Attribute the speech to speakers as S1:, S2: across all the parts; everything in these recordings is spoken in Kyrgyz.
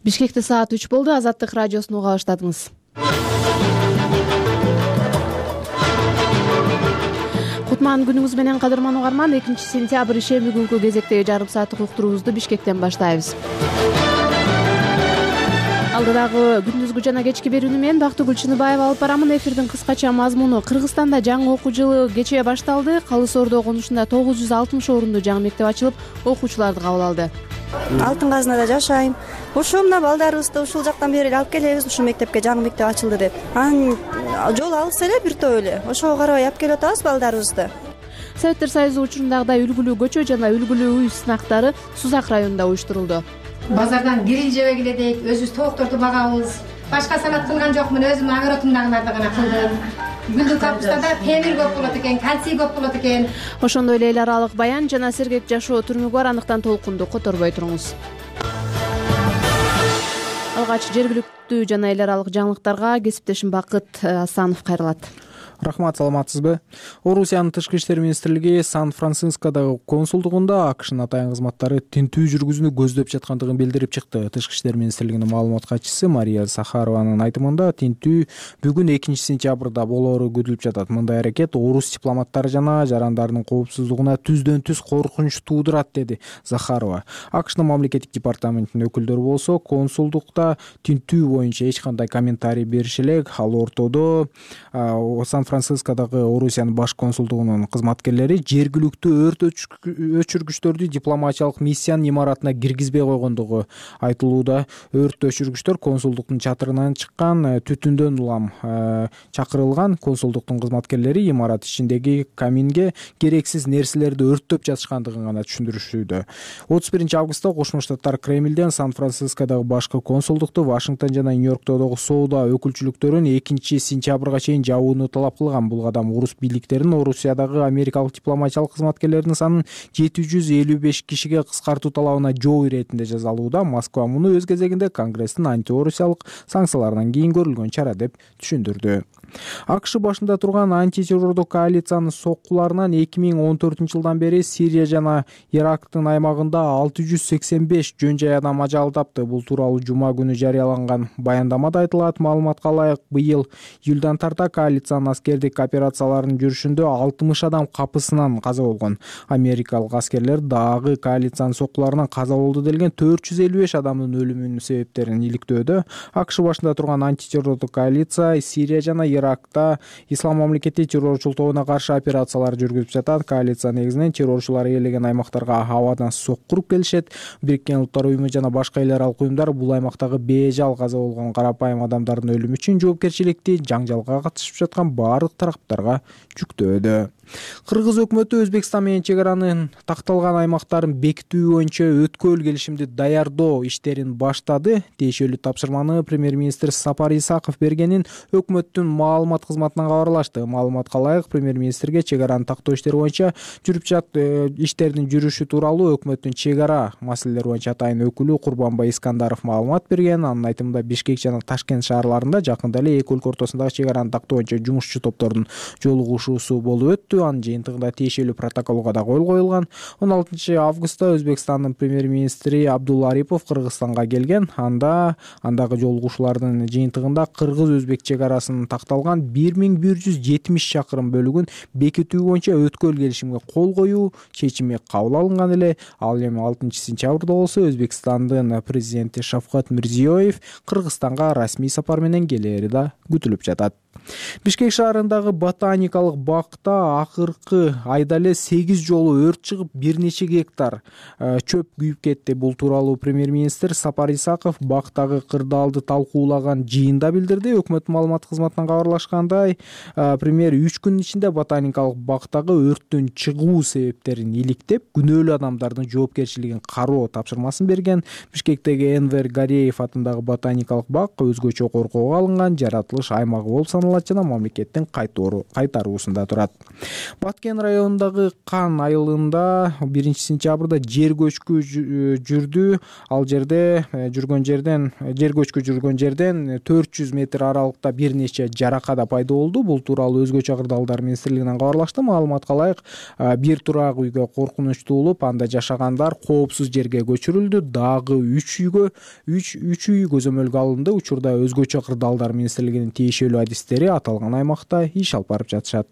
S1: Бишкекте саат 3 болду. Азаттык радиосун уга баштадыңыз. Кутман күнүңүз менен кадырман угарман. 2-сентябрь ишемби күнкү кезектеги жарым сааттык уктуруубузду Бишкектен баштайбыз. Алдыдагы күндүзгү жана кечки берүүнү мен Бактыгүл Чыныбаева алып барамын. Эфирдин кыскача мазмуну: Кыргызстанда жаңы окуу жылы кечээ башталды. Калы Соордо конушунда 960 орунду жаңы мектеп ачылып, окуучуларды кабыл алды.
S2: Алтын Казынада жашайм. Ошо мына балдарыбызды ушул жактан бери алып келебиз, ушул мектепке жаңы мектеп ачылды деп. Анын жол алыс эле, бир топ эле. Ошого карабай алып келип атабыз балдарыбызды.
S1: Советтер Союзу учурундагыдай үлгүлүү көчө жана үлгүлүү үй сынактары Сузак районунда уюштурулду.
S3: Базардан кирил жебе келедик, өзүбүз тоокторду багабыз. Башка санат кылган жокмун, өзүм огородумдагыларды гана кылдым. Гүлдүк капустада темир көп болот экен, кальций көп болот экен.
S1: Ошондой эле эл аралык баян жана сергек жашоо түрмөгү бар, андыктан толкунду которбой туруңуз. Алгач жергиликтүү жана эл аралык жаңылыктарга кесиптешим Бакыт Асанов кайрылат.
S4: Рахмат, саламатсызбы? Орусиянын тышкы иштер министрлиги Сан-Францискодогу консулдугунда АКШнын атайын кызматтары тинтүү жүргүзүүнү көздөп жаткандыгын билдирип чыкты. Тышкы иштер министрлигинин маалымат катчысы Мария Сахарованын айтымында, тинтүү бүгүн 2-сентябрда болоору күтүлүп жатат. Мындай аракет орус дипломаттары жана жарандарынын коопсуздугуна түздөн-түз коркунуч туудурат, деди Захарова. АКШнын мамлекеттик департаментинин өкүлдөрү болсо консулдукта тинтүү боюнча эч кандай комментарий бериши элек. Ал ортодо Сан-Францискодогу Орусиянын баш консулдугунун кызматкерлери жергиликтүү өрт өчүргүчтөрдү дипломатиялык миссиянын имаратына киргизбей койгондугу айтылууда. Өрт өчүргүчтөр консулдуктун чатырынан чыккан түтүндөн улам чакырылган. Консулдуктун кызматкерлери имарат ичиндеги каминге керексиз нерселерди өрттөп жатышкандыгын гана түшүндүрүшүүдө. 31 августта Кошмо Штаттар Кремлден Сан-Францискодогу башкы консулдукту Вашингтон жана Нью-Йорктогу соода өкүлчүлүктөрүн 2-сентябрга чейин жабууну талап кылган. Бул кадам орус бийликтеринин Орусиядагы америкалык дипломатиялык кызматкерлердин санын 755 кишиге кыскартуу талабына жооп иретинде жазалууда. Москва муну өз кезегинде Конгресстин антиорусиялык санкцияларынан кийин көрүлгөн чара деп түшүндүрдү. АКШ башында турган антитеррордук коалициянын соккуларынан 2014-жылдан бери Сирия жана Ирактын аймагында 685 жөн жай адам ажал тапты. Бул тууралуу жума күнү жарыяланган баяндамада айтылат. Маалыматка ылайык, быйыл июлдан тарта коалициянын аскердик операцияларынын жүрүшүндө 60 адам капысынан каза болгон. Америкалык аскерлер дагы коалициянын соккуларынан каза болду делген 455 адамдын өлүмүнүн себептерин иликтөөдө. АКШ башында турган антитеррордук коалиция Сирия жана Иракта ислам мамлекети террорчул тобуна каршы операциялар жүргүзүп жатат. Коалиция негизинен террорчулар ээлеген аймактарга абадан соккуруп келишет. Бириккен Улуттар уюму жана башка эл аралык уюмдар бул аймактагы бежал каза болгон карапайым адамдардын өлүмү үчүн жоопкерчиликти жаңжалга катышып жаткан баардык тараптарга жүктөөдө. Кыргыз өкмөтү Өзбекстан менен чек аранын такталган аймактарын бекитүү боюнча өткөл келишимди даярдоо иштерин баштады. Тиешелүү тапшырманы премьер-министр Сапар Исаков бергенин өкмөттүн маалымат кызматынан кабарлашты. Маалыматка ылайык, премьер-министрге чек араны тактоо иштери боюнча жүрүп жаткан иштердин жүрүшү тууралуу өкмөттүн чек ара маселелери боюнча атайын өкүлү Курбанбай Искандаров маалымат берген. Анын айтымында, Бишкек жана Ташкент шаарларында жакында эле эки өлкө ортосундагы чек араны тактоо боюнча жумушчу топтордун жолугушуусу болуп өттү. Анын жыйынтыгында тиешелүү протоколго да кол коюлган. 16 августта Өзбекстандын премьер-министри Абдулла Арипов Кыргызстанга келген. Андагы жолугушуулардын жыйынтыгында кыргыз-өзбек чек арасынын такталган 1170 чакырым бөлүгүн бекитүү боюнча өткөл келишимге кол коюу чечими кабыл алынган эле. Ал эми 6-сентябрда болсо Өзбекстандын президенти Шавкат Мирзиёев Кыргызстанга расмий сапар менен келери да күтүлүп жатат. Бишкек шаарындагы ботаникалык бакта акыркы айда эле 8 жолу өрт чыгып, бир нече гектар чөп күйүп кетти. Бул тууралуу премьер-министр Сапар Исаков бактагы кырдаалды талкуулаган жыйында билдирди. Өкмөт маалымат кызматынан кабарлашкандай, премьер 3 күн ичинде ботаникалык бактагы өрттүн чыгуу себептерин иликтеп, күнөөлүү адамдардын жоопкерчилигин кароо тапшырмасын берген. Бишкектеги Энвер Гареев атындагы ботаникалык бак өзгөчө коркоого алынган жаратылыш аймагы болуп саналат жана мамлекеттин кайтаруусунда турат. Баткен районундагы Кан айылында 1-сентябрда жер көчкү жүрдү. Ал жерде жер көчкү жүргөн жерден 400 метр аралыкта бир нече жаракат пайда болду. Бул тууралуу Өзгөчө Кырдаалдар министрлигинен кабарлашты. Маалыматка ылайык, бир турак үйгө коркунуч туулуп, анда жашагандар коопсуз жерге көчүрүлдү. Дагы 3 үй көзөмөлгө алынды. Учурда Өзгөчө Кырдаалдар министрлигинин тиешелүү адистери аталган аймакта иш алып барып жатышат.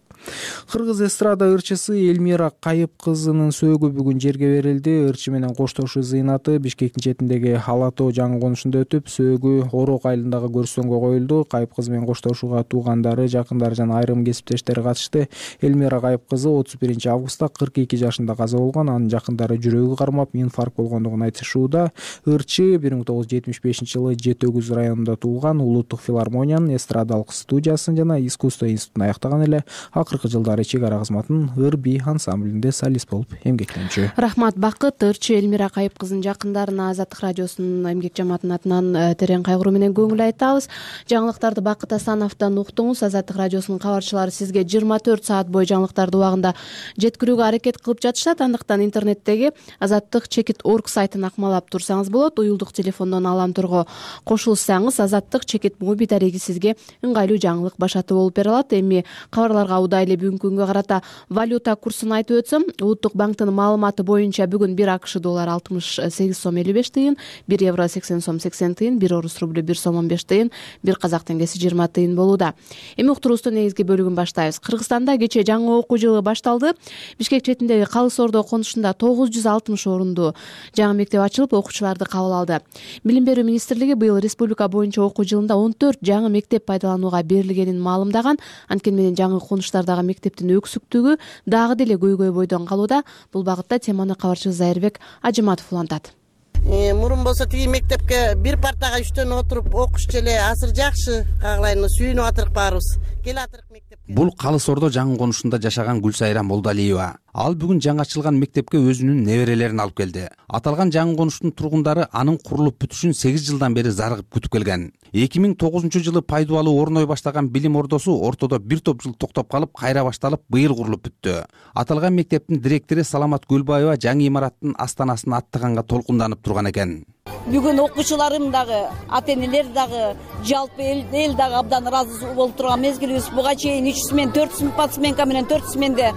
S4: Кыргыз эстрада ырчысы Элмира Кайып кызынын сөөгү бүгүн жерге берилди. Ырчы менен коштошуу зыйнаты Бишкектин четиндеги Алатоо жаңы конушунда өтүп, сөөгү Орок айылындагы көрсөңгө коюлду. Кайып кызы менен коштошууга туугандары, жакындары жана айрым кесиптештери катышты. Элмира Кайып кызы 31 августта 42 жашында каза болгон. Анын жакындары жүрөгү кармап, инфаркт болгондугун айтышууда. Ырчы 1975 жылы Жети Өгүз районунда туулган. Улуттук филармониянын эстрадалык студиясын жана искусство институтун аяктаган эле. Акыркы жылдары чек ара кызматын ыр-би ансамблинде солист болуп эмгектенчү.
S1: Рахмат, Бакыт. Ырчы Элмира Кайып кызынын жакындарына Азаттык радиосунун эмгек жамаатынын атынан терең кайгыруу менен көңүл айтабыз. Жаңылыктарды Бакыт Асановдон уктуңуз. Азаттык радиосунун кабарчылары сизге 24 саат бою жаңылыктарды убагында жеткирүүгө аракет кылып жатышат. Андыктан интернеттеги azattik.org сайтын акмалап турсаңыз болот. Уюлдук телефондон аламторго кошулсаңыз Азаттык чекит моби дареги сизге ыңгайлуу жаңылык башаты болуп бере алат. Эми кабарларга удай эле бүгүнкү күнгө карата валюта курсун айтып өтсөм, Улуттук банктын маалыматы боюнча бүгүн 1 АКШ доллары 68 сом 55 тыйын, 1 евро 80 сом 80 тыйын, 1 орус рублю 1 сом 15 тыйын, 1 казак теңгеси 20 тыйын болууда. Эми уктуруубуздун негизги бөлүгүн баштайбыз. Кыргызстанда кечээ жаңы окуу жылы башталды. Бишкек четиндеги Калыс Ордо конушунда 960 орунду жаңы мектеп ачылып, окуучуларды кабыл алды. Билим берүү министрлиги быйыл республика боюнча окуу жылында 14 жаңы мектеп пайдаланууга берилгенин маалымдаган. Анткени менен жаңы конуштардагы мектептин өксүктүгү дагы деле көйгөй бойдон калууда. Бул багытта теманы кабарчыбыз Зайырбек Ажыматов улантат.
S5: Мурун болсо тиги мектепке бир партага 3төн отуруп окушчу эле азыр жакшы кагылайын сүйүнүп атырык баарыбыз. Келатырык мектепке.
S6: Бул Калыс Ордо жаңы конушунда жашаган Гүлсайра Молдалиева. Ал бүгүн жаңы ачылган мектепке өзүнүн неберелерин алып келди. Аталган жаңы конуштун тургундары анын курулуп бүтүшүн 8 жылдан бери зарыгып күтүп келген. 2009 жылы пайдубалуу орной баштаган билим ордосу ортодо бир топ жыл токтоп калып, кайра башталып, быйыл курулуп бүттү. Аталган мектептин директору Саламат Гөлбаева жаңы имараттын астанасын аттаганга толкунданып турган экен.
S7: Бүгүн окуучуларым дагы, ата-энелер дагы, жалпы эл дагы абдан ыраазы болуп турган мезгилибиз. Буга чейин 3 смен, 4 подсменка менен 4 сменде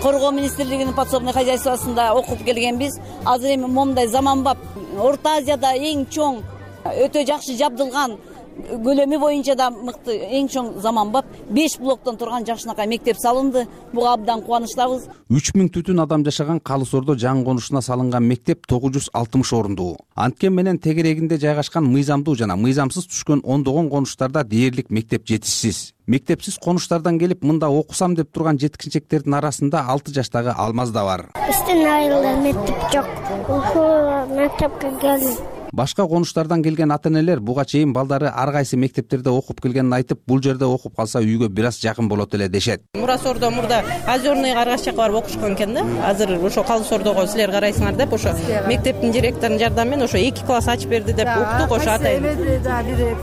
S7: Коргоо министрлигинин подсобный хозяйствосунда окуп келгенбиз. Азыр эми момундай заманбап, Орто Азияда эң чоң, өтө жакшы жабдылган, көлөмү боюнча да мыкты, эң чоң заманбап 5 блоктон турган жакшынакай мектеп салынды. Буга абдан кубанычтабыз. 3000
S6: түтүн адам жашаган Калыс Ордо жаңы конушуна салынган мектеп 960 орундуу. Анткени менен тегерегинде жайгашкан мыйзамдуу жана мыйзамсыз түшкөн ондогон конуштарда дээрлик мектеп жетишсиз. Мектепсиз конуштардан келип мында окусам деп турган жеткинчектердин арасында 6 жаштагы Алмаз да бар.
S8: Биздин айылда мектеп жок. Ушул мектепке келдим.
S6: Башка конуштардан келген ата-энелер буга чейин балдары ар кайсы мектептерде окуп келгенин айтып, бул жерде окуп калса үйгө бир аз жакын болот эле дешет.
S9: Мурас Ордо мурда Озерныйга аргаш жака барып окушкан экен да. Азыр ошо Калыс Ордого силер карайсыңар деп, ошо мектептин директорунун жардамы менен ошо 2 класс ачып берди деп уктук. Ошо ата-эне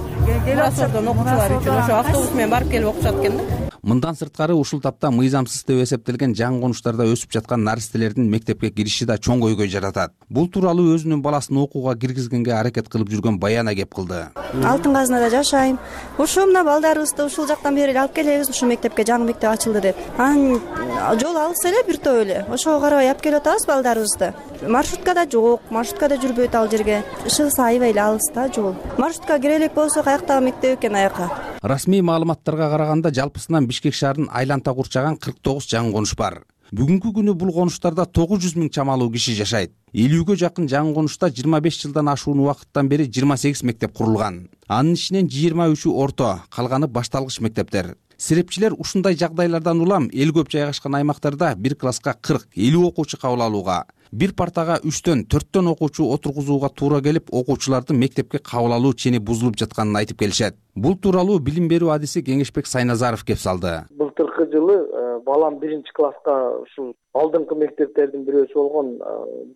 S9: Мурас Ордонун окуучулары үчүн ошо автобус менен барып келип окушат экен да.
S6: Мындан сырткары ушул тапта мыйзамсыз деп эсептелген жаңы конуштарда өсүп жаткан наристелердин мектепке кириши да чоң көйгөй жаратат. Бул тууралуу өзүнүн баласын окууга киргизгенге аракет кылып жүргөн Баяна кеп кылды.
S2: Алтын Казынада жашайм. Ушул мына балдарыбызды ушул жактан бери алып келебиз, ушул мектепке жаңы мектеп ачылды деп. Анын жол алыс эле, бир топ эле. Ошого карабай алып келип атабыз балдарыбызды. Маршрутка да жок, маршрутка да жүрбөйт ал жерге. Шыгыс аябай эле алыс да жол. Маршрутка кире элек болсо каяктагы мектеп экен аяка.
S6: Расмий маалыматтарга караганда жалпысынан Бишкек шаарынын айланта курчаган 49 жаңы конуш бар. Бүгүнкү күнү бул конуштарда 900 миң чамалуу киши жашайт. 50гө жакын жаңы конушта 25 жылдан ашуун убакыттан бери 28 мектеп курулган. Анын ичинен 23 орто, калганы башталгыч мектептер. Серепчилер ушундай жагдайлардан улам эл көп жайгашкан аймактарда бир класска 40-50 окуучу кабыл алууга, Бир партага 3-4 окуучу отургузууга туура келип, окуучулардын мектепке кабыл алуу чени бузулуп жатканын айтып келишет. Бул тууралуу билим берүү адиси Кеңешбек Сайназаров кеп салды.
S10: Былтыркы жылы балам 1-класска ушул алдыңкы мектептердин бирөөсү болгон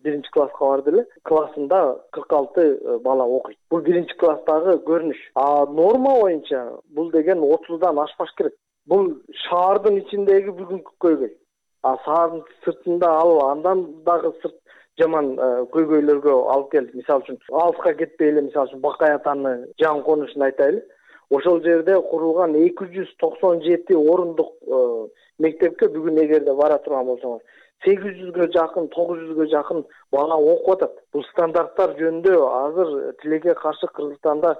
S10: 1-класска барды эле. Классында 46 бала окуйт. Бул 1-класстагы көрүнүш. Норма боюнча бул деген 30дан ашпаш керек. Бул шаардын ичиндеги бүгүнкү көйгөй. Шаардын сыртында андан дагы сырт жаман көйгөйлөргө алып келди. Мисалы үчүн алыска кетпей эле, мисалы үчүн Бакай атаны жаңы конушун айтайлы. Ошол жерде курулган 297 орундук мектепке бүгүн эгерде бара турган болсоңор 800гө жакын, 900гө жакын бала окуп атат. Бул стандарттар жөнүндө азыр тилекке каршы Кыргызстанда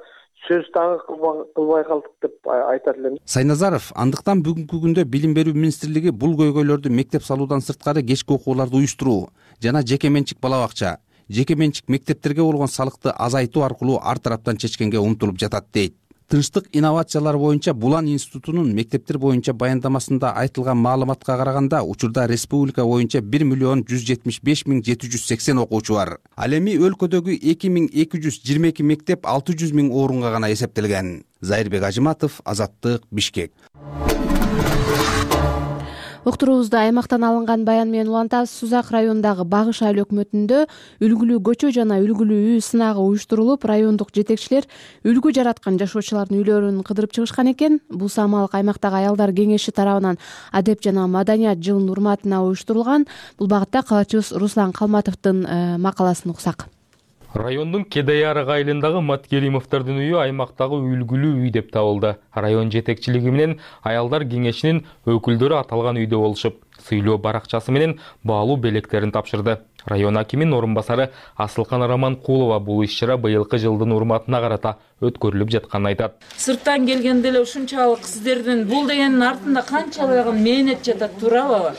S10: сөз дагы кылбай калдык деп айтат элем.
S6: Сайназаров андыктан бүгүнкү күндө Билим берүү министрлиги бул көйгөйлөрдү мектеп салуудан сырткары кечки окууларды уюштуруу жана жеке менчик бала бакча, жеке менчик мектептерге болгон салыкты азайтуу аркылуу ар тараптан чечкенге умтулуп жатат дейт. Тынчтык инновациялар боюнча Булан институтунун мектептер боюнча баяндамасында айтылган маалыматка караганда, учурда республика боюнча 1,175,780 окуучу бар. Ал эми өлкөдөгү 2222 мектеп 600,000 орунга гана эсептелген. Зайырбек Ажыматов, Азаттык, Бишкек.
S1: Уктуруубузду аймактан алынган баян менен улантабыз. Сузак районундагы Багыш айыл өкмөтүндө үлгүлүү көчө жана үлгүлүү үй сынагы уюштурулуп, райондук жетекчилер үлгү жараткан жашоочулардын үйлөрүн кыдырып чыгышкан экен. Бул самалык аймактагы аялдар кеңеши тарабынан адеп жана маданият жылынын урматына уюштурулган. Бул багытта калаачыбыз Руслан Калматовдун макаласын уксак.
S11: Райондун Кедайарык айылындагы Маткеримовдордун үйү аймактагы үлгүлүү үй деп табылды. Район жетекчилиги менен аялдар кеңешинин өкүлдөрү аталган үйдө болушуп, сыйлоо баракчасы менен баалуу белектерин тапшырды. Район акиминин орун басары Асылкан Раманкулова бул иш-чара быйылкы жылдын урматына карата өткөрүлүп жатканын айтат.
S12: Сырттан келгенде эле ушунчалык сиздердин бул дегендин артында канчалык мээнет жатат, туурабы?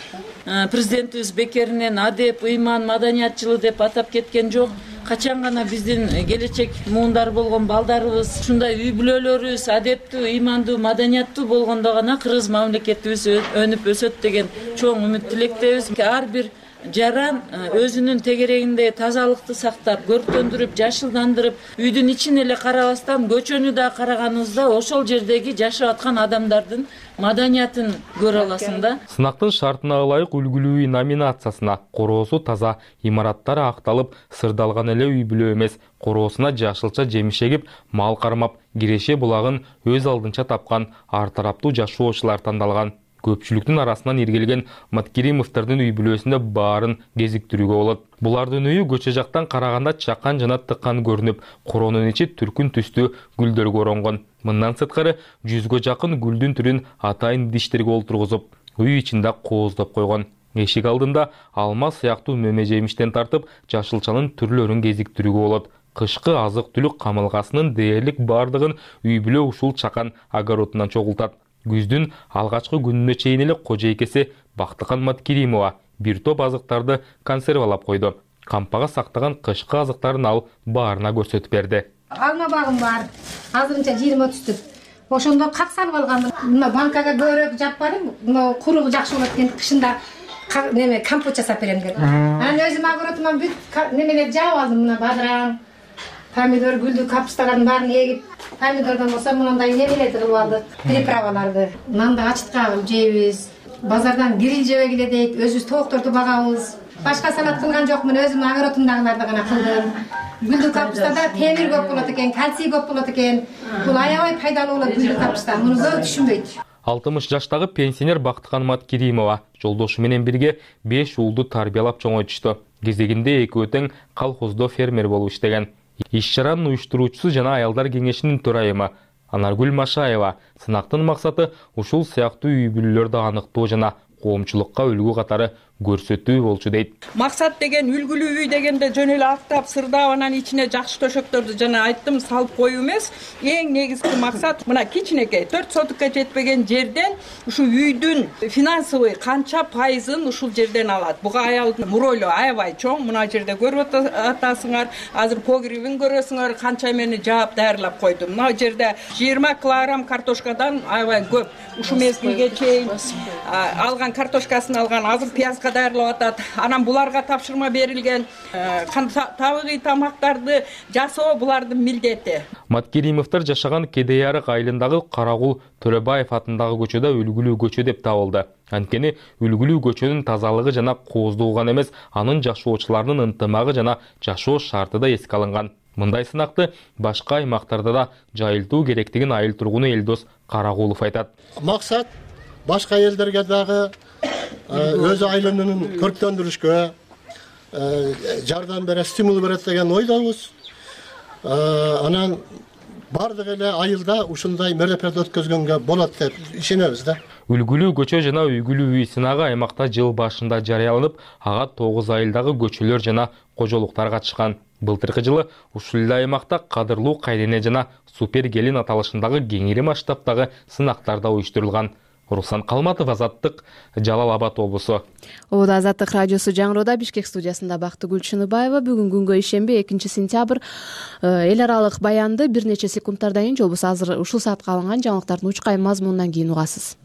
S12: Президентибиз бекеринен адеп, ыйман, маданият жылы деп атап кеткен жок. Качан гана биздин келечек муундар болгон балдарыбыз ушундай үй бүлөлөрүбүз адептүү, ыймандуу, маданияттуу болгондо гана кыргыз мамлекетибиз өнүп өсөт деген чоң үмүт тилектебиз. Ар бир жаран өзүнүн тегерегинде тазалыкты сактап, көрктөндүрүп, жашылдандырып, үйдүн ичин эле карабастан көчөнү да караганыбызда ошол жердеги жашап аткан адамдардын маданиятын көрө аласың да.
S11: Сынактын шартына ылайык үлгүлүү үй номинациясына короосу таза, имараттары акталып, сырдалган эле үй бүлө эмес, короосуна жашылча жемиш эгип, мал кармап, киреше булагын өз алдынча тапкан ар тараптуу жашоочулар тандалган. Көпчүлүктүн арасынан иргелген Маткеримовдордун үй бүлөсүндө баарын кезиктирүүгө болот. Булардын үйү көчө жактан караганда чакан жана тыккан көрүнүп, коронун ичи түркүн түстүү гүлдөргө оронгон. Мындан сырткары 100гө жакын гүлдүн түрүн атайын идиштерге олтургузуп, үй ичинде кооздоп койгон. Эшик алдында алма сыяктуу мөмө жемиштен тартып, жашылчанын түрлөрүн кезиктирүүгө болот. Кышкы азык-түлүк камылгасынын дээрлик бардыгын үй бүлө ушул чакан огородунан чогултат. Күздүн алгачкы күнүнө чейин эле кожойкеси Бактыкан Маткеримова бир топ азыктарды консервалап койду. Кампага сактаган кышкы азыктарын ал баарына көрсөтүп берди.
S3: Алма багым бар. Азырынча 20-30 түп. Ошондо как салып алгам. Мына банкага көбүрөөк жаппадым. Мына куруу жакшы болот экен. Кышында неме компот жасап берем деп. Анан өзүм огородуман бүт немелерди жаап алдым. Мына бадыран, помидор, гүлдү капусталардын баарын эгип, помидордон болсо мындай немелерди кылып алдык, приправаларды. Нанды ачыткабыл жейбиз. Базардан гриль жебе келедик, өзүбүз тоокторду багабыз. Башка салат кылган жокмун, өзүм огородумдагыларды гана кылдым. Гүлдү капустада темир көп болот экен, кальций көп болот экен. Бул аябай пайдалуу болот гүлдү капуста. Муну көп түшүнбөйт.
S11: 60 жаштагы пенсионер Бактыкан Маткеримова жолдошу менен бирге 5 уулду тарбиялап чоңойтушту. Кезегинде экөө тең колхоздо фермер болуп иштеген. Иш-чаранын уюштуруучусу жана аялдар кеңешинин төрайымы Анаргүл Машаева сынактын максаты ушул сыяктуу үй бүлөлөрдү аныктоо жана коомчулукка үлгү катары көрсөтүү болчу дейт.
S13: Максат деген үлгүлүү үй дегенде жөн эле актап, сырдап, анан ичине жакшы төшөктөрдү жана айттым салып коюу эмес. Эң негизги максат мына кичинекей 4 сотукка жетпеген жерден ушу үйдүн финансовый канча пайызын ушул жерден алат. Буга аялдын муройлу аябай чоң. Мына жерде көрүп атасыңар, азыр погребин көрөсүңөр, канча эмени жаап даярлап койдум. Мына жерде 20 килограмм картошкадан аябай көп. Ушу мезгилге чейин алган картошкасын алган, азыр пиязга даярдап атат. Анан буларга тапшырма берилген табигый тамактарды жасоо булардын милдети.
S11: Маткеримовдор жашаган Кедей арык айылындагы Карагул Төрөбаев атындагы көчөдө үлгүлүү көчө деп табылды. Анткени үлгүлүү көчөнүн тазалыгы жана кооздугу гана эмес, анын жашоочуларынын ынтымагы жана жашоо шарты да эске алынган. Мындай сынакты башка аймактарда да жайылтуу керектигин айыл тургуну Элдос Карагулов айтат.
S14: Максат башка элдерге дагы өз айылын көрктөндүрүшкө жардам берет, стимул берет деген ойдобуз. Анан бардык эле айылда ушундай мероприятие өткөзгөнгө болот деп ишенебиз да.
S11: Үлгүлүү көчө жана үйгүлүү үй сынагы аймакта жыл башында жарыяланып, ага 9 айылдагы көчөлөр жана кожолуктар катышкан. Былтыркы жылы ушул эле аймакта кадырлуу кайрене жана супер келин аталышындагы кеңири масштабтагы сынактар да уюштурулган. Руслан Калматов, Азаттык, Жалал Абад облусу.
S1: Ода Азаттык радиосу жаңыроодо Бишкек студиясында Бактыгүл Чыныбаева. Бүгүн күнгө ишемби 2-сентябрь эл аралык баянды бир нече секундтардан кийин же болбосо азыр ушул саатка алынган жаңылыктардын учкай мазмунунан кийин угасыз.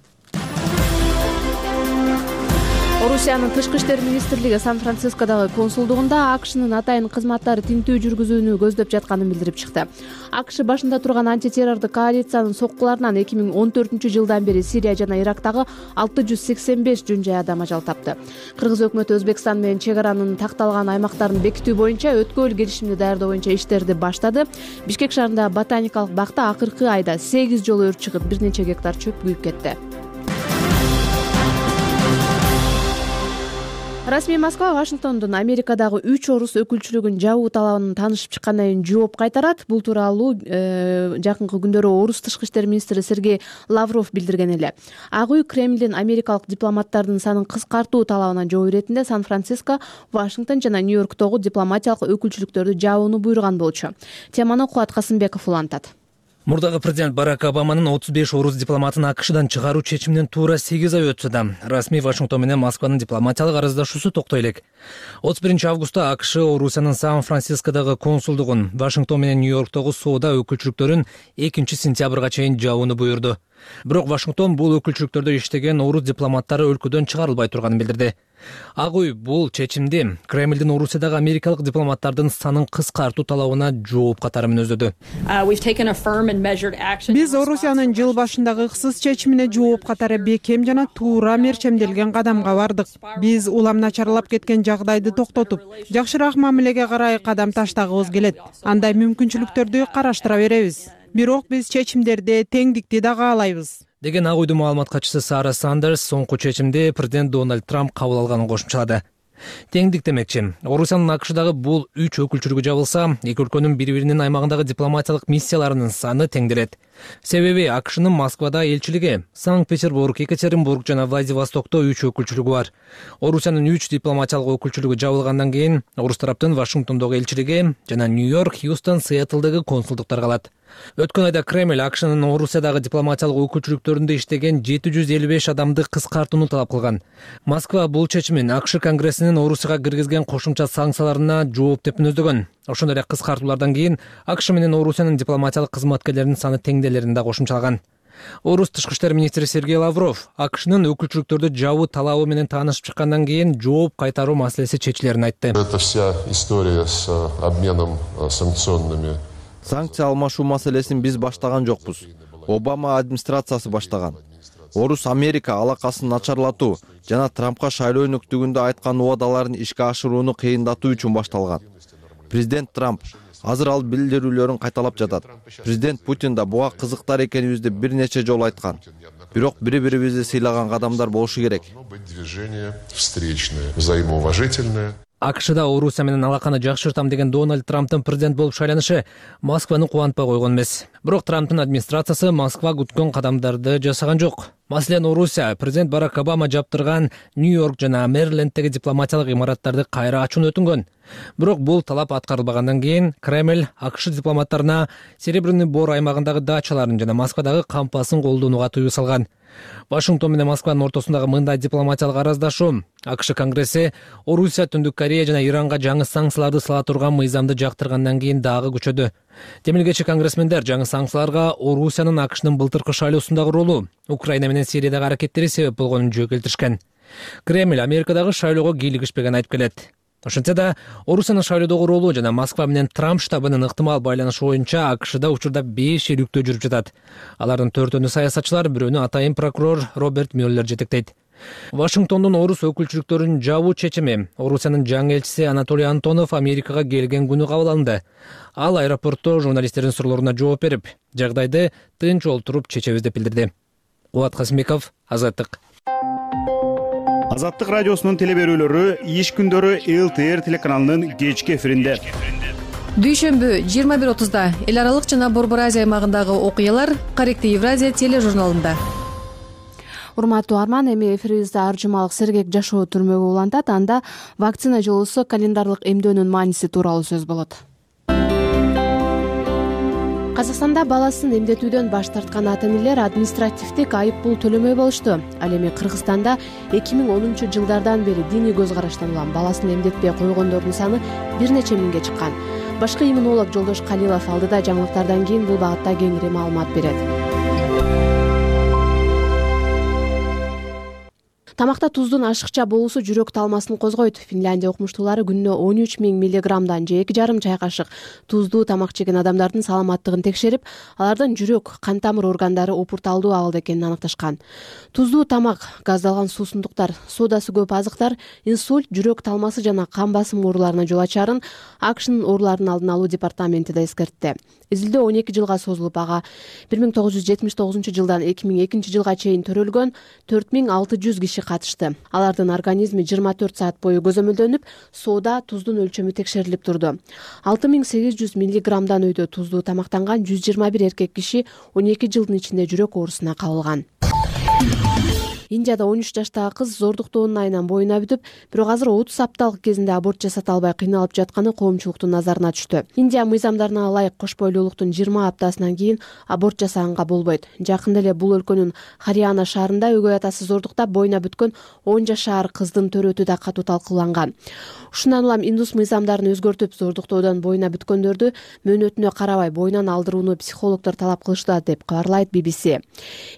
S1: Орусиянын Тышкы иштер министрлиги Сан-Францискодагы консулдугунда АКШнын атайын кызматтары тинтүү жүргүзүүнү көздөп жатканын билдирип чыкты. АКШ башында турган антитеррордук коалициянын соккуларынан 2014-жылдан бери Сирия жана Ирактагы 685 жөн жай адам ажал тапты. Кыргыз өкмөтү Өзбекстан менен чек аранын такталган аймактарын бекитүү боюнча өткөл келишимди даярдоо боюнча иштерди баштады. Бишкек шаарындагы ботаникалык бакта акыркы айда 8 жолу өрт чыгып, бир нече гектар чөп күйүп кетти. Расмий Москва Вашингтондун Америкадагы 3 орус өкүлчүлүгүн жабуу талабын таанышып чыккандан кийин жооп кайтарат. Бул тууралуу жакынкы күндөрү орус тышкы иштер министри Сергей Лавров билдирген эле. Ак үй Кремлдин америкалык дипломаттардын санын кыскартуу талабына жооп иретинде Сан-Франциско, Вашингтон жана Нью-Йорктогу дипломатиялык өкүлчүлүктөрдү жабууну буйруган болчу. Теманы Кубат Касымбеков улантат.
S15: Мурдагы президент Барак Обаманын 35 орус дипломатын АКШдан чыгаруу чечиминен туура 8 ай өтсө да, расмий Вашингтон менен Москванын дипломатиялык арыздашуусу токтой элек. 31-августта АКШ Орусиянын Сан-Францискодагы консулдугун, Вашингтон менен Нью-Йорктогу соода өкүлчүлүктөрүн 2-сентябрга чейин жабууну буйрду. Бирок Вашингтон бул өкүлчүлүктөрдө иштеген орус дипломаттары өлкөдөн чыгарылбай турганын билдирди. Ак үй бул чечимди Кремлдин Орусиядагы америкалык дипломаттардын санын кыскартуу талабына жооп катары мүнөздөдү.
S16: Биз Орусиянын жыл башындагы ыксыз чечимине жооп катары бекем жана туура мерчемделген кадамга бардык. Биз улам начарлап кеткен жагдайды токтотуп, жакшыраак мамилеге карай кадам таштагыбыз келет. Андай мүмкүнчүлүктөрдү караштыра беребиз. Бирок биз чечимдерде теңдикти да каалайбыз
S15: деген ак үйдүн маалымат катчысы Сара Сандерс соңку чечимди президент Дональд Трамп кабыл алганын кошумчалады. Теңдик демекчи, Орусиянын АКШдагы бул 3 өкүлчүлүгү жабылса, эки өлкөнүн бири-биринин аймагындагы дипломатиялык миссияларынын саны теңделет. Себеби АКШнын Москвада элчилиги, Санкт-Петербург, Екатеринбург жана Владивостокто 3 өкүлчүлүгү бар. Орусиянын 3 дипломатиялык өкүлчүлүгү жабылгандан кийин орус тараптын Вашингтондогу элчилиги жана Нью-Йорк, Хьюстон, Сиэтлдагы консулдуктар калат. Өткөн айда Кремль АКШнын Орусиядагы дипломатиялык өкүлчүлүктөрүндө иштеген 755 адамды кыскартууну талап кылган. Москва бул чечимин АКШ Конгрессинин Орусияга киргизген кошумча санкцияларына жооп деп мүнөздөгөн. Ошондой эле кыскартуулардан кийин АКШ менен Орусиянын дипломатиялык кызматкерлеринин саны теңделерин да кошумчалаган. Орус тышкы иштер министри Сергей Лавров АКШнын өкүлчүлүктөрдү жабуу талабы менен таанышып чыккандан кийин жооп кайтаруу маселеси чечилерин айтты.
S17: Это вся история с обменом санкционными.
S18: Санкция алмашуу маселесин биз баштаган жокпуз. Обама администрациясы баштаган. Орус-Америка алакасын начарлатуу жана Трампка шайлоо өнөктүгүндө айткан убадаларын ишке ашырууну кыйындатуу үчүн башталган. Президент Трамп азыр ал билдирүүлөрүн кайталап жатат. Президент Путин да буга кызыктар экенибизди бир нече жолу айткан. Бирок бири-бирибизди сыйлаган кадамдар болушу керек.
S17: Движение встречное, взаимоуважительное.
S15: АКШда Орусия менен алаканы жакшыртам деген Дональд Трамптын президент болуп шайланышы Москваны кубантпай койгон эмес. Бирок Трамптын администрациясы Москва күткөн кадамдарды жасаган жок. Маселен, Орусия президент Барак Обама жаптырган Нью-Йорк жана Мэриленддеги дипломатиялык имараттарды кайра ачууну өтүнгөн. Бирок бул талап аткарылбагандан кийин Кремль АКШ дипломаттарына Серебряный Бор аймагындагы дачаларын жана Москвадагы кампасын колдонууга тыюу салган. Вашингтон менен Москванын ортосундагы мындай дипломатиялык араздашуу АКШ Конгресси Орусия, Түндүк Корея жана Иранга жаңы санкцияларды сала турган мыйзамды жактыргандан кийин дагы күчөдү. Демилгечи конгрессмендер жаңы санкцияларга Орусиянын АКШнын былтыркы шайлоосундагы ролу, Украина менен Сириядагы аракеттери себеп болгонун жөө келтиришкен. Кремль Америкадагы шайлоого кийлигишпеген айтып келет. Ошентсе да Орусиянын шайлоодогу ролу жана Москва менен Трамп штабынын ыктымал байланышы боюнча АКШда учурда 5 иликтөө жүрүп жатат. Алардын 4-өнү саясатчылар, бирөөнү атайын прокурор Роберт Мюллер жетектейт. Вашингтондун орус өкүлчүлүктөрүн жабуу чечими Орусиянын жаңы элчиси Анатолий Антонов Америкага келген күнү кабыл алынды. Ал аэропортто журналисттердин суроолоруна жооп берип, жагдайды тынч олтуруп чечебиз деп билдирди. Кубат Касымбеков, Азаттык.
S19: Азаттык радиосунун телеберүүлөрү иш күндөрү ЛТР телеканалынын кечки эфиринде.
S20: Дүйшөмбү 21:30 эл аралык жана Борбор Азия аймагындагы окуялар Корректив Евразия тележурналында.
S1: Урматтуу Арман, эми эфирибизде аржымалык сергек жашоо түрмөгү улантат. Анда вакцина жолусу календарлык эмдөөнүн мааниси тууралуу сөз болот. Казакстанда баласын эмдетүүдөн баш тарткан ата-энелер административдик айып пул төлөмөй болушту. Ал эми Кыргызстанда 2010-жылдардан бери диний көз караштан улам баласын эмдетпей койгондордун саны бир нече миңге чыккан. Башкы иммунолог Жолдош Калилов алдыда жаңылыктардан кийин бул багытта кеңири маалымат берет. Тамакта туздун ашыкча болуусу жүрөк талмасын козгойт. Финляндия окумуштуулары күнүнө 13 000 миллиграммдан же 2,5 чай кашык туздуу тамак жеген адамдардын саламаттыгын текшерип, алардын жүрөк, кан тамыр органдары опурталдуу абалда экенин аныкташкан. Туздуу тамак, газдалган суусундуктар, содасы көп азыктар инсульт, жүрөк талмасы жана кан басымы ооруларына жол ачарын АКШнын оорулардын алдын алуу департаменти да эскертти. Изилдөө 12 жылга созулуп, ага 1979-жылдан 2002-жылга чейин төрөлгөн 4600 киши катышты. Алардын организми 24 саат бою көзөмөлдөнүп, соода туздун өлчөмү текшерилип турду. 6800 миллиграммдан өйдө туздуу тамактанган 121 эркек киши 12 жылдын ичинде жүрөк оорусуна кабылган. Индияда 13 жаштагы кыз зордуктоонун айынан боюна бүтүп, бирок азыр 30 апталык кезинде аборт жасата албай кыйналып жатканы коомчулуктун назарына түштү. Индия мыйзамдарына ылайык кош бойлуулуктун 20 аптасынан кийин аборт жасаганга болбойт. Жакында эле бул өлкөнүн Хариана шаарында өгөй атасы зордуктап боюна бүткөн 10 жашар кыздын төрөтү да катуу талкууланган. Ушундан улам индус мыйзамдарын өзгөртүп, зордуктоодон боюна бүткөндөрдү мөөнөтүнө карабай боюнан алдырууну психологдор талап кылышты деп кабарлайт BBC.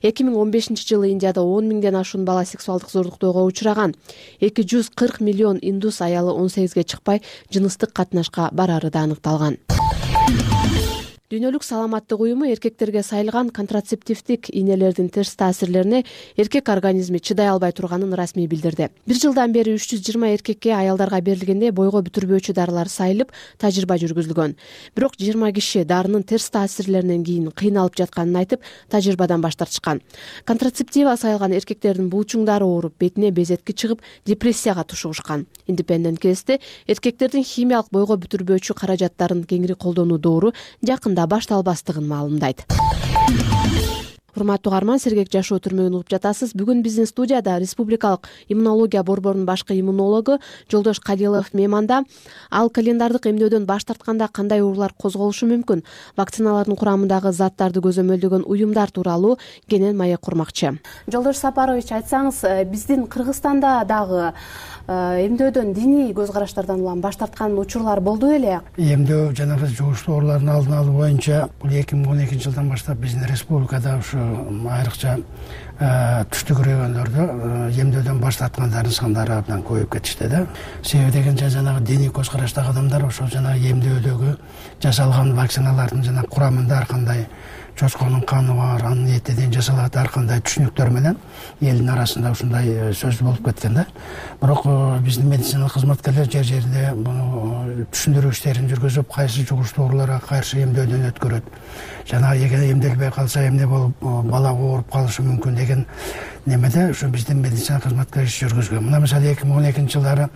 S1: 2015-жылы Индияда 10 миңден ашуун бала сексуалдык зордуктоого учураган. 240 миллион индус аялы 18ге чыкпай жыныстык катнашка барары да аныкталган. Дүйнөлүк саламаттык уюму эркектерге сайылган контрацептивдик ийнелердин терс таасирлерине эркек организми чыдай албай турганын расмий билдирди. Бир жылдан бери 320 эркекке аялдарга берилгенде бойго бүтүрбөөчү дарылар сайылып, тажрыйба жүргүзүлгөн. Бирок 20 киши дарынын терс таасирлеринен кийин кыйналып жатканын айтып, тажрыйбадан баш тартышкан. Контрацептива сайылган эркектердин булчуңдары ооруп, бетине безетки чыгып, депрессияга тушугушкан. Independent Cast'te эркектердин химиялык бойго бүтүрбөөчү каражаттарын кеңири колдонуу доору жакында башталбастыгын маалымдайт. Урматтуу Арман, сергек жашоо түрмөгүн угуп жатасыз. Бүгүн биздин студияда Республикалык иммунология борборунун башкы иммунологу Жолдош Калилов мейманда. Ал календардык эмдөөдөн баш тартканда кандай оорулар козголушу мүмкүн, вакциналардын курамындагы заттарды көзөмөлдөгөн уюмдар тууралуу кенен маек курмакчы. Жолдош Сапарович, айтсаңыз, биздин Кыргызстанда дагы эмдөөдөн диний көз караштардан улам баш тарткан учурлар болду беле?
S21: Эмдөө жанагы жугуштуу оорулардын алдын алуу боюнча бул 2012-жылдан баштап биздин республикада ушу айрыкча түштүк райондордо эмдөөдөн баш тарткандардын сандары абдан көбөйүп кетишти да. Себеби дегенде жанагы диний көз караштагы адамдар ошол жанагы эмдөөдөгү жасалган вакциналардын жанагы курамында ар кандай чочконун каны бар, анын этиден жасалат, ар кандай түшүнүктөр менен элдин арасында ушундай сөз болуп кеткен да. Бирок биздин медициналык кызматкерлер жер жеринде буну түшүндүрүү иштерин жүргүзүп, кайсы жугуштуу ооруларга каршы эмдөөдөн өткөрөт. Жанагы эгер эмделбей калса эмне болуп бала ооруп калышы мүмкүн деген немеде ушу биздин медицина кызматкерлери иш жүргүзгөн. Мына мисалы 2012-жылдары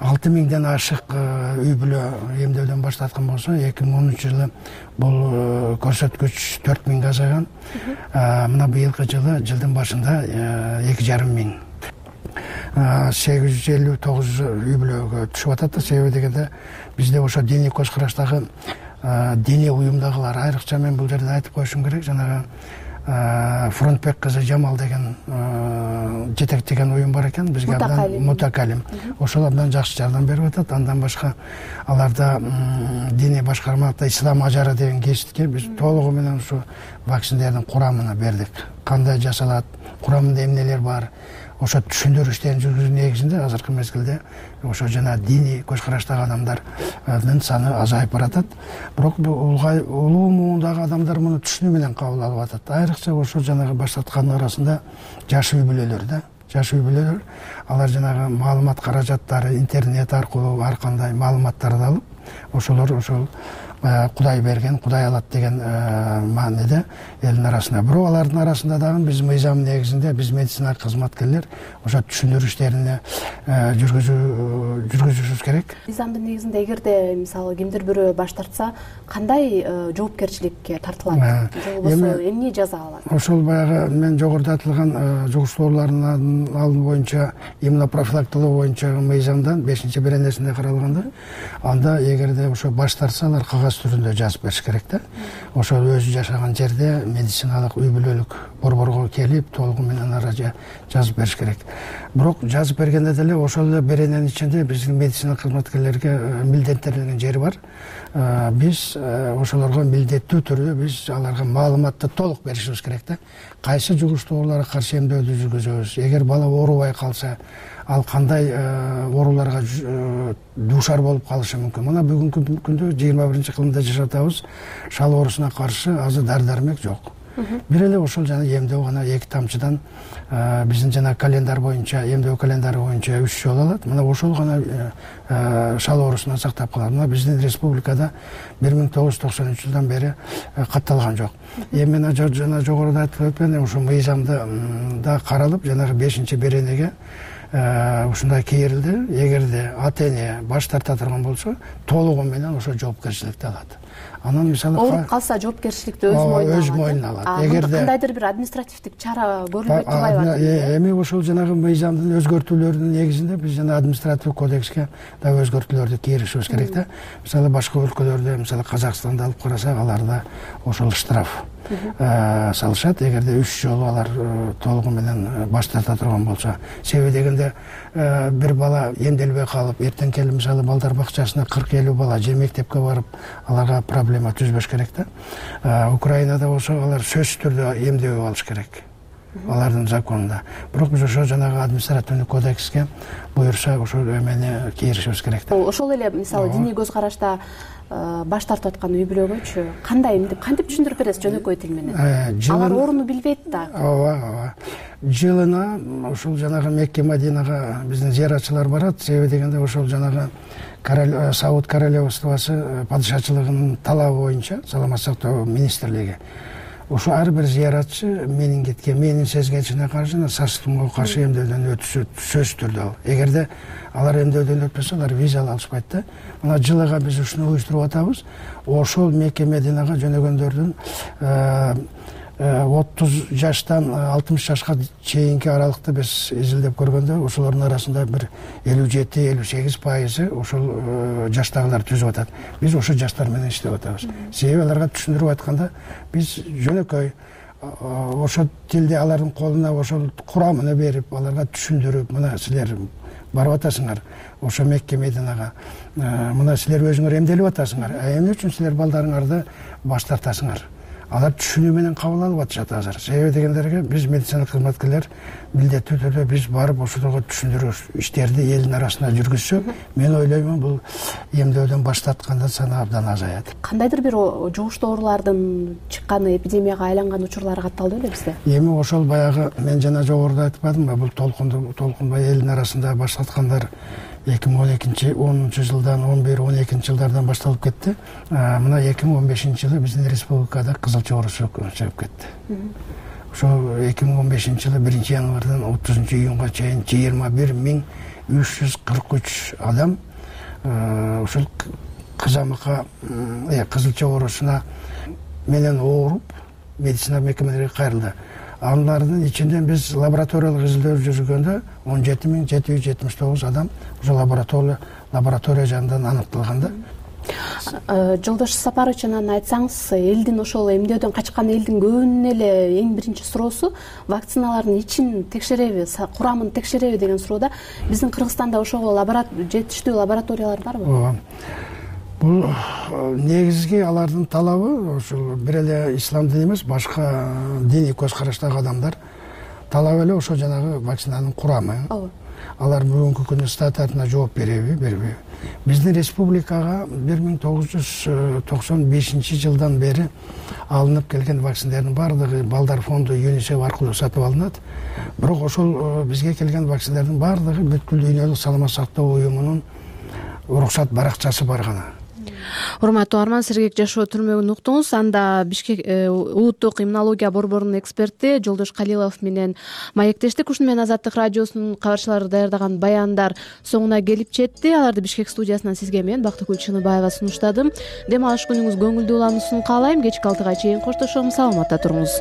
S21: 6000ден ашык үй бүлө эмдөөдөн баш тарткан болсо, 2010-жылы бул көрсөткүч 4000 азайган. Мына быйылкы жылдын башында 2,5 миң. 859 үй бүлөгө түшүп атат да. Себеби дегенде бизде ошо диний көз караштагы диний уюмдагылар айрыкча мен бул жерде айтып коюшум керек. Жанагы Фронтбек кызы Жамал деген жетектеген уюм бар экен, бизге абдан мутакалим. Ошол абдан жакшы жардам берип атат. Андан башка аларда диний башкармада ислам ажары деген кесипке биз толугу менен ушу вакциналардын курамына бердик. Кандай жасалат, курамында эмнелер бар, ошо түшүндүрүү иштерин жүргүзүү негизинде азыркы мезгилде ошо жана диний көз караштагы адамдардын саны азайып баратат. Бирок улуу муундагы адамдар муну түшүнүү менен кабыл алып атат. Айрыкча ошо жанагы баштаткандын арасында жаш үй бүлөлөр жаш үй бүлөлөр, алар жанагы маалымат каражаттары интернет аркылуу ар кандай маалыматтарды алып, ошолор ошол Кудай берген, Кудай алат деген мааниде элдин арасында. Бирок алардын арасында дагы биз мыйзам негизинде биз медицина кызматкерлер ошо түшүндүрүү иштерине жүргүзүшүбүз керек.
S1: Мыйзамдын негизинде эгерде мисалы кимдир бирөө баш тартса, кандай жоопкерчиликке тартылат? Же болбосо эмне жаза алат?
S21: Ошол баягы мен жогоруда айтылган жугуштуу оорулардын алдын боюнча иммунопрофилактикалоо боюнча мыйзамдан 5-беренесинде каралганда, анда эгерде ошо баш тартса, алар кагаз түрүндө жазып бериш керек да. Ошол өзү жашаган жерде медициналык үй бүлөлүк борборго келип толугу менен жазып бериш керек. Бирок жазып бергенде деле ошол эле берененин ичинде биздин медицина кызматкерлерге милдеттелген жери бар. Биз ошолорго милдеттүү түрдө биз аларга маалыматты толук беришибиз керек да. Кайсы жугуштуу ооруларга каршы эмдөөдү жүргүзөбүз? Эгер бала оорубай калса, ал кандай ооруларга дуушар болуп калышы мүмкүн? Мына бүгүнкү күндө 21-кылымда жашап атабыз. Шал оорусуна каршы азыр дары-дармек жок. Бир эле ошол жана эмдөө гана 2 тамчыдан биздин жана календар боюнча, эмдөө календары боюнча 3 жолу алат. Мына ошол гана шал оорусунан сактап калат. Мына биздин республикада 1993-жылдан бери катталган жок. Эми мен жана жогоруда айтып өткөн ошо мыйзамды да каралып, жанагы 5-беренеге ушундай кийрилди. Эгерде ата-эне баш тарта турган болсо, толугу менен ошо жоопкерчиликти алат. Анан мисалы
S1: ооруп калса жоопкерчиликти өз
S21: мойнуна алат.
S1: Эгерде кандайдыр бир административдик чара көрүлбөй турбайбы?
S21: Эми ошол жанагы мыйзамдын өзгөртүүлөрүнүн негизинде биз жана административдик кодекске да өзгөртүүлөрдү киргизишибиз керек да. Мисалы башка өлкөлөрдө, мисалы Казакстанды алып карасак, аларда ошол штраф салышат, эгерде 3 жолу алар толугу менен баш тарта турган болсо. Себеби дегенде бир бала эмделбей калып, эртең келип мисалы балдар бакчасына 40-50 бала же мектепке барып, аларга проблема түзбөш керек да. Украинада болсо алар сөзсүз түрдө эмдөө алыш керек. Алардын законунда. Бирок биз ошо жанагы административдик кодекске буюрса ошол эмени киргизишибиз керек да.
S1: Ошол эле мисалы диний көз карашта баш тартып аткан үй бүлөгөчү кантип түшүндүрүп бересиз жөнөкөй тил менен? Алар орунду билбейт да.
S21: Ооба. Жылына ошол жанагы Мекке Мадинага биздин зыяратчылар барат. Себеби дегенде ошол жанагы Сауд королевствосы падышачылыгынын талабы боюнча саламат сактоо министрлиги ошо ар бир зыяратчы менингитке, менин сезгенчине каршы, сарстымга каршы эмдөөдөн өтүшү сөзсүз түрдө ал. Эгерде алар эмдөөдөн өтпөсө, алар виза алышпайт да. Мына жылыга биз ушуну уюштуруп атабыз. Ошол Мекке Мединага жөнөгөндөрдүн 30 жаштан 60 жашка чейинки аралыкты биз изилдеп көргөндө, ошолордун арасында бир 57-58% ошол жаштагылар түзүп атат. Биз ошол жаштар менен иштеп атабыз. Себеби аларга түшүндүрүп айтканда биз жөнөкөй ошол тилди алардын колуна ошол курамын берип, аларга түшүндүрүп, мына силер барып атасыңар ошо Мекке Мединага, мына силер өзүңөр эмделип атасыңар, эмне үчүн силер балдарыңарды баш тартасыңар? Алар түшүнүү менен кабыл алып атышат азыр. Себеби дегендерге биз медицина кызматкерлер милдеттүү түрдө биз барып ошолорго түшүндүрүү иштерди элдин арасында жүргүзсөк, мен ойлоймун бул эмдөөдөн баш тарткандар саны абдан азаят.
S1: Кандайдыр бир жугуштуу оорулардын чыкканы, эпидемияга айланган учурлар катталды беле бизде?
S21: Эми ошол баягы мен жана жогоруда айтпадымбы, бул толкунбай элдин арасында баш тарткандар 2010 жылдан 11-12 башталып кетти. Мына 2015-жылы биздин республикада кызылча оорусу чыгып кетти. Ошо 2015-жылы 1-январдан 30-июнга чейин 21.343 адам ошол кызамыкка, кызылча оорусуна менен ооруп медицина мекемелерине кайрылды. Алардын ичинде биз лабораториялык изилдөө жүргөндө 17.779 адам ошо лаборатория жанынан аныкталганда.
S1: Жолдош Сапарович, анан айтсаңыз, элдин ошол эмдөөдөн качкан элдин көбүнүн эле эң биринчи суроосу вакциналардын ичин текшереби, курамын текшереби деген суроода. Биздин Кыргызстанда ошого жетиштүү лабораториялар барбы?
S21: Ооба. Бул негизги алардын талабы ошол бир эле ислам дини эмес, башка диний көз караштагы адамдар талап эле ошо жанагы вакцинанын курамы. Алар бүгүнкү күнү статусуна жооп береби, бербейби? Биздин республикага 1995 жылдан бери алынып келген вакциналардын баардыгы балдар фонду ЮНИСЕФ аркылуу сатып алынат. Бирок ошол бизге келген вакциналардын баардыгы бүткүл дүйнөлүк саламаттык сактоо уюмунун уруксат баракчасы бар гана.
S1: Урматтуу Арман, сергек жашоо түрмөгүн уктуңуз. Анда Бишкек улуттук иммунология борборунун эксперти Жолдош Калилов менен маектештик. Ушуну менен Азаттык радиосунун кабарчылары даярдаган баяндар соңуна келип жетти. Аларды Бишкек студиясынан сизге мен Бактыгүл Чыныбаева сунуштадым. Дем алыш күнүңүз көңүлдүү улануусун каалайм. Кечки 6-га чейин коштошом. Саламатта туруңуз.